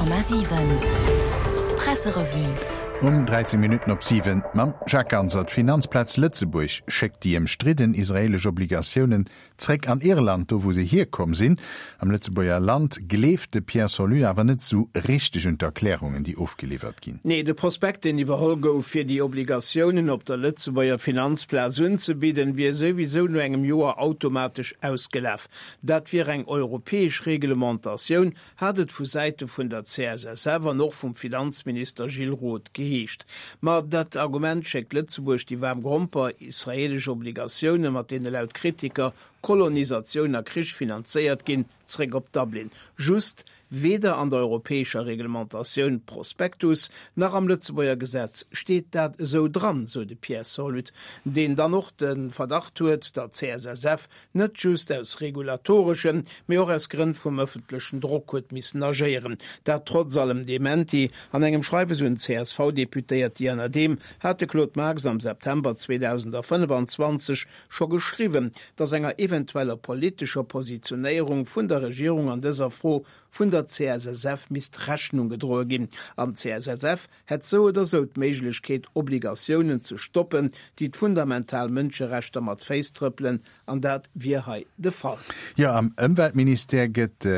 100,7 Presserevue. Um 13 Minutten op 7 mam Jacques Ganser. D'Finanzplaz Lëtzebuerg schéckt déi ëmstridden israeelesch Obligatiounen Zréck an Irland, do wou se hierkomm sinn. Am Lëtzebuerger Land gleeft de Pierre Solus awer net esou richteg un d'Erklärungen, déi ofgeliwwert ginn. Nee, de Prospekt, deen iwwerholl gouf, fir déi Obligatiounen op der Lëtzebuerger Finanzplaz unzebidden, wier souwisou no engem Joer automatesch ausgelaf. Dat wier eng europäesch Reglementatioun, hat et vu Säite vun der CSSF an och vum Finanzminister Gilles Roth geheescht. Ma dat Argument schéckt Lëtzebuerg déi waarm Gromper, israeelesch Obligatioune mat deene laut Kritiker Kolonisatioun a Krich finanzéiert ginn, zréck op Dublin. Just, weder an der europäescher Reglementatioun, Prospektus, nach am Lëtzebuerger Gesetz steet dat esou dran, sou de Pierre Sorlut, deen dann och de Verdacht huet, der CSSF net just aus regulatoreschen, mee och aus Grënn vum ëffentlechen Drock huet missen agéieren. Dat trotz allem Dementi. An engem Schreiwes un d'CSV-Deputéiert Diana Dehm hat de Claude Marx am September 2025 scho geschriwwen, datt enger eventueller politescher Positionéierung vun der Regierung an dëser Fro vun der CSSF misst Rechnung gedroe ginn. An d'CSSF hätt sou oder sou d'Méiglechkeet, Obligatiounen ze stoppen, déi d'fundamental Mënscherechter mat Féiss trëppelen, an dat wier hei de Fall. Jo, am Ëmweltministère gëtt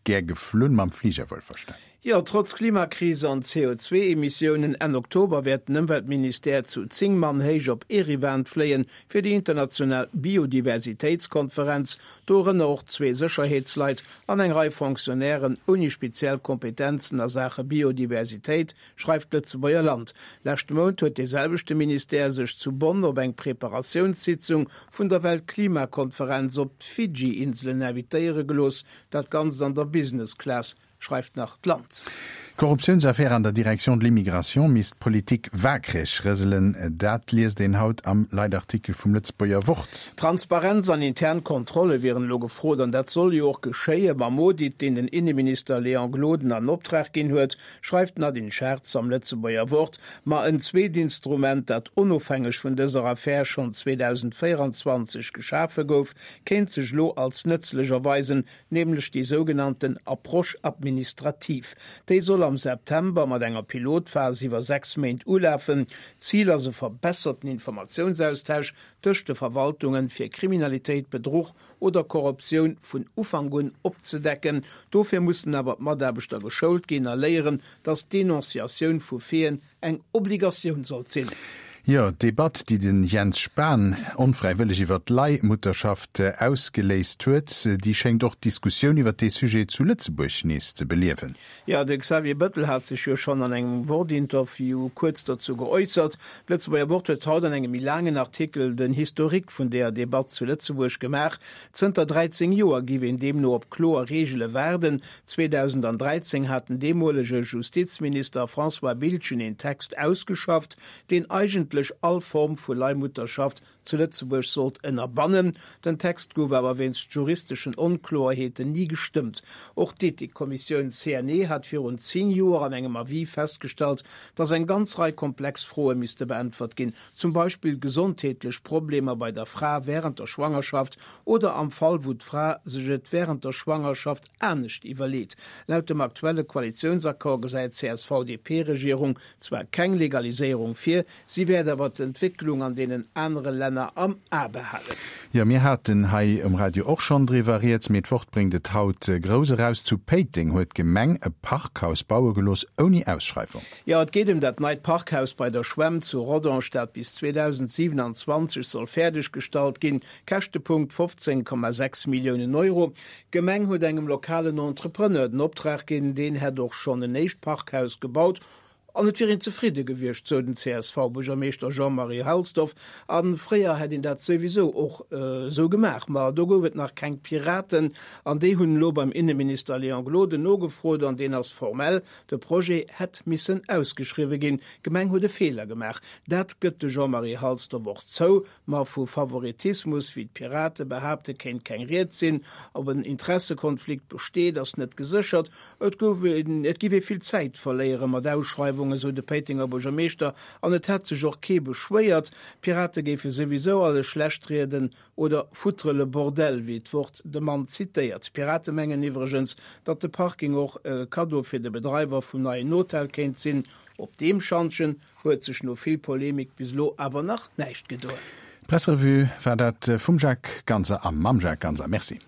gär geflunn, mam Fliger wuelverstanen. Jo, trotz Klimakris an CO2-Emissiounen, Enn Oktober wäert den Ëmweltministère zu 10 Mann héich op Eriwan fléien, fir déi international Biodiversitéitskonferenz, dorënner och zwee Sécherheetsleit an eng Rei Fonctionnairen ouni speziell Kompetenzen a Saache Biodiversitéit, schreift d'Lëtzebuerger Land. Leschte Mount huet dee selwechte Ministère sech zu Bonn op eng Preparatiounssitzung vun der Weltklimakonferenz op d'Fidschi-Inselen invitéiere gelooss, dat Ganzt an der Business Class. Schreift nach d'Land. D'Korruptiounsaffär an der Direction de l'immigration misst d'Politik waakreg rëselen. Dat liest een haut am Leitartikel vum Lëtzebuerger Wort. Transparenz an intern Kontrolle wieren elo gefrot an dat soll jo och geschéie mam Audit, deen den Inneminister Léon Gloden an Optrag ginn huet, schreift d'Nadine Schartz am Lëtzebuerger Wort. Ma en zweet Instrument, dat onofhängeg vun dëser Affär schonn 2024 geschafe gouf, kéint sech elo als nëtzlech erweisen, nämlech déi sougenannten Approche administrative. Déi soll am September mat enger Pilotphas iwwer 6 Méint ulafen. Zil ass e verbesserten Informatiounsaustausch tëscht de Verwaltungen, fir Kriminalitéit, Bedruch oder Korruptioun vun Ufank un opzedecken. Dofir mussen awer d'Mataarbechter geschoult ginn a léieren, datt d'Denonciatioun vu Faiten eng Obligatioun sollt sinn. Jo, d'Debatt, déi de Jens Spahn onfräiwëlleg iwwer d'Leihmutterschaft ausgeléist huet, déi schéngt och d'Diskussioun iwwer dee Sujet zu Lëtzebuerg nees ze beliewen. Jo, de Xavier Bëttel hat sech jo schonn an engem Wort-Interview kuerz dozou geäussert. D'Lëtzebuerger Wort huet haut an engem méi laangen Artikel den Historique vun deeër Debatt zu Lëtzebuerg gemaach. Zënter 13 Joer géif een deemno op kloer Reegele waarden, 2013 hat den deemolege Justizminister François Biltgen een Text ausgeschafft, deen eigentlech all Form vu Leihmutterschaft zu Lëtzebuerg sollt ënnerbannen. Den Text gouf awer wéinst juristeschen Onkloerheeten ni gestëmmt. Och d'Ethikkommissioun CNE hat virun 10 Joer an engem Avis festgestallt, datt eng ganz Rei komplex Froe misste beäntwert ginn, zum Beispill gesondheetlech Problemer bei der Fra wärend der Schwangerschaft oder am Fall wou d'Fra sech et wärend der Schwangerschaft anescht iwwerleet. Laut dem aktuelle Koalitiounsaccord gesäit d'CSV-DP-Regierung zwar keng Legaliséierung vir, si wäert awer d'Entwécklung an deenen anere Länner am A behalen. Jo, mir haten hei um Radio och schonn driwwer rieds, mee d'Wort bréngt et haut grouss eraus, Zu Péiteng huet d'Gemeng e Parkhaus baue gelooss ouni Ausschreiwung. Jo, et geet ëm dat neit Parkhaus bei der Schwämm zu Rodange, dat bis 2027 soll fäerdeg gestallt ginn. Käschtepunkt 15,6 Milliounen Euro. D'Gemeng huet engem lokalen Entrepreneur den Optrag ginn, deen hätt och schonn en éischt Parkhaus gebaut an et wier een zefridde gewiescht, sou den CSV-Buergermeeschter Jean-Marie Halsdorf. A fréier hätt een dat souwisou och esou gemaach. Ma do gouf et nach keng Piraten an déi hunn elo beim Inneminister Léon Gloden nogefrot an deen ass formell, De Projet hätt missen ausgeschriwwe ginn. D'Gemeng huet e Feeler gemaach. Dat gëtt de Jean-Marie Halsdorf och zou. Ma vu Favoritismus, wéi d'Pirate behaapte, kéint keng Ried sinn. Ob en Interessekonflikt besteet, ass net geséchert. Et gouf een, et giff ee vill Zäit verléiere mat Ausschreiwungen. Ëmgewung, esou de Péitenger Buergermeeschter, an et hätt sech och kee beschwéiert. D'Pirate géife souwisou alles schlecht rieden oder foutre le bordel, wéi d'Wort de Mann zitéiert. D'Pirate mengen iwwregens, datt de Parking och e Kaddo fir de Bedreiwer vum neien Hotel kéint sinn. Op deem Schantjen huet sech no vill Polemik bis elo awer nach näischt gedoen. D'Presserevue war dat vum Jacques Ganser a mam Jacques Ganser. Merci.